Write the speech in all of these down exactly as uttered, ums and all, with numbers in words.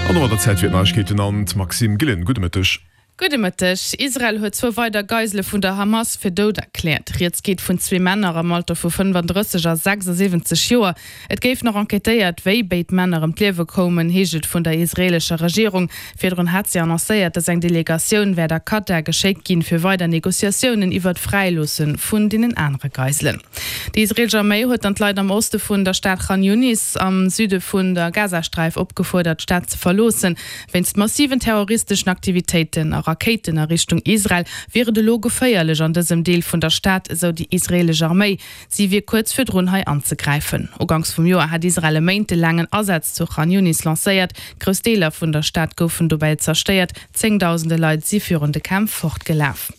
An domat der Zäit fir d'Neiegkeeten an d'Maxime Gillen. Gudde Mëtteg. Gudde Mëtteg. Israel huet zwou weider Geisele vun der Hamas fir dout erkläert. Rieds geet vun zwee Männer am Alter vu fënnefandrësseg a sechsasiwwenzeg Joer. Et géif nach enquêtéiert, wéi béid Männer ëm d'Liewe koumen, heescht et vun der israeelescher Regierung. Virdrun hat si annoncéiert, datt eng Delegatioun wäert a Katar geschéckt ginn, fir weider Negociatiounen iwwert d'Fräiloosse vun deenen anere Geiselen. Déi israeelesch Arméi huet dann d'Leit am Oste vun der Stad Khan Younis am Süde vun der Gazasträif opgefuerdert, d'Stad ze verloossen. Wéinst massiven terroristeschen Aktivitéiten a Rakéiten a Richtung Israel wier et elo geféierlech an dësem Deel vun der Stad, esou déi israeelesch Arméi. Si wier kuerz virdrun hei anzegräifen. Uganks vum Joer hat Israel e méintelaangen Asaz zu Khan Younis lancéiert. Grouss Deeler vun der Stad goufen dobäi zerstéiert, zéngdausende Leit si virun de Kämpf fortgelaf.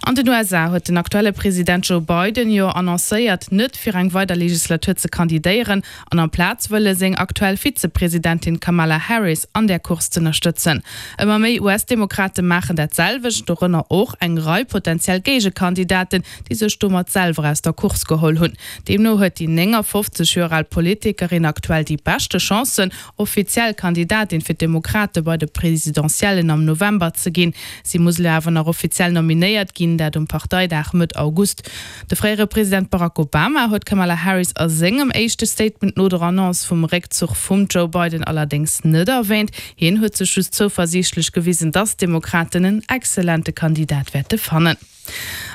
An den U S A huet den aktuelle President Joe Biden jo annoncéiert, net fir eng weider Legislatur ze kandidéieren an amplaz wëlle seng aktuell Vizepresidentin Kamala Harris an där Course z'ënnerstëtzen. Ëmmer méi U S-Demokrate maachen dat selwecht, dorënner och eng Rei potentiell Géigekandidaten, déi sech domat selwer aus der Course geholl hunn. Deemno huet déi néngafofzeg Joer al Politikerin aktuell déi beschte Chancen, offiziell Kandidatin fir d'Demokrate bei de Presidentiellen am November ze ginn. Si muss elo awer nach offiziell nominéiert ginn, dat um Parteidag Mëtt August. De fréiere President Barack Obama huet Kamala Harris a sengem éischte Statement no der Annonce vum Réckzuch vum Joe Biden allerdéngs net erwähnt. Hien huet sech just zouversiichtlech gewisen, dass d'Demokraten en exzellente Kandidat wäerte fannen.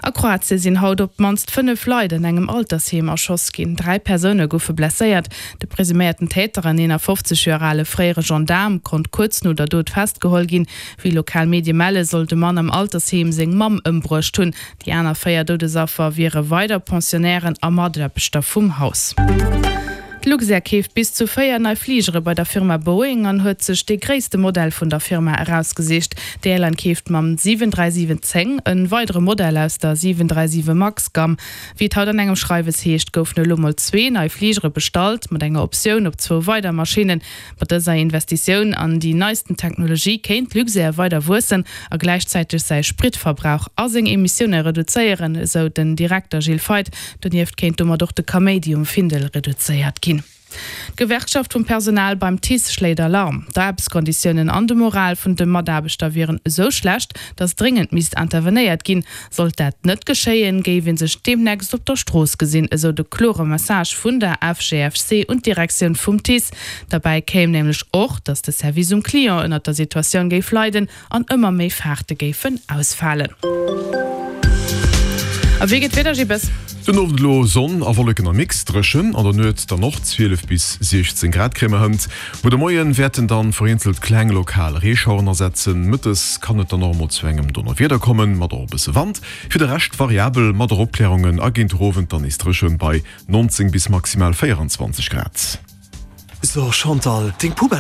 A Kroatie sinn haut op d'mannst fënnef Leit an engem Altersheem erschoss ginn. Dräi Persoune goufe blesséiert. De presuméierten Täter, en eenafofzeg Joer ale fréiere Gendaarm, konnt kuerz no der Dot festgeholl ginn. Wéi lokal Medie melle, soll de Mann am Altersheem seng Mamm ëmbruecht hunn. Déi aner véier Doudesaffer wiere weider Pensionnairen a Mataarbechter vum Haus. D'Luxair keeft bis zu véier nei Fligere bei der Firma Boeing an huet sech dee gréisste Modell vun der Firma erausgesicht. D'Airline keeft mam siwen dräi siwen zéng e weidere Modell aus der siwen dräi siwe Max-Gamm. Wéi et haut an engem Schreiwes heescht, goufen elo mol zwee nei Fligere bestallt, mat enger Optioun op zwou weider Maschinnen. Mat dëser Investitioun an déi neisten Technologie kéint d'Luxair weider wuessen a gläichzäiteg säi Spritverbrauch a seng Emissioune reduzéieren, esou den Direkter Gilles Feith. Donieft kéint domat och de Kaméidi um Findel reduzéiert ginn. D'Gewerkschaft vum Personal beim TICE schléit Alarm. D'Aarbechtskonditiounen an de Moral vun de Mataarbechter wieren esou schlecht, datt dréngend misst intervenéiert ginn. Sollt dat net geschéien, géif ee sech deemnächst op der Strooss gesinn, esou de klore Message vun der F G F C un d'Direktioun vum TICE. Derbäi kéim nämlech och, datt de Service um Client ënner der Situatioun géif leiden an ëmmer méi Fahrte géifen ausfalen. A wéi geet d'Wieder, Gilles? Den Owend elo Sonn a Wolleken am Mix, dréchen, an der Nuet dann och zwielef bis siechzéng Grad kréie mer hënt. Muer de Moien wäerten dann vereenzelt kleng lokal Reeschaueren asetzen. Mëttes kann et dann och emol zu engem Donnerwieder kommen, mat och e bësse Wand. Fir de Rescht variabel mat och Opklärungen a géint den Owend dann nees dréchen bei nonzéng bis maximal véieranzwanzeg Grad. So Chantal, deng Poubelle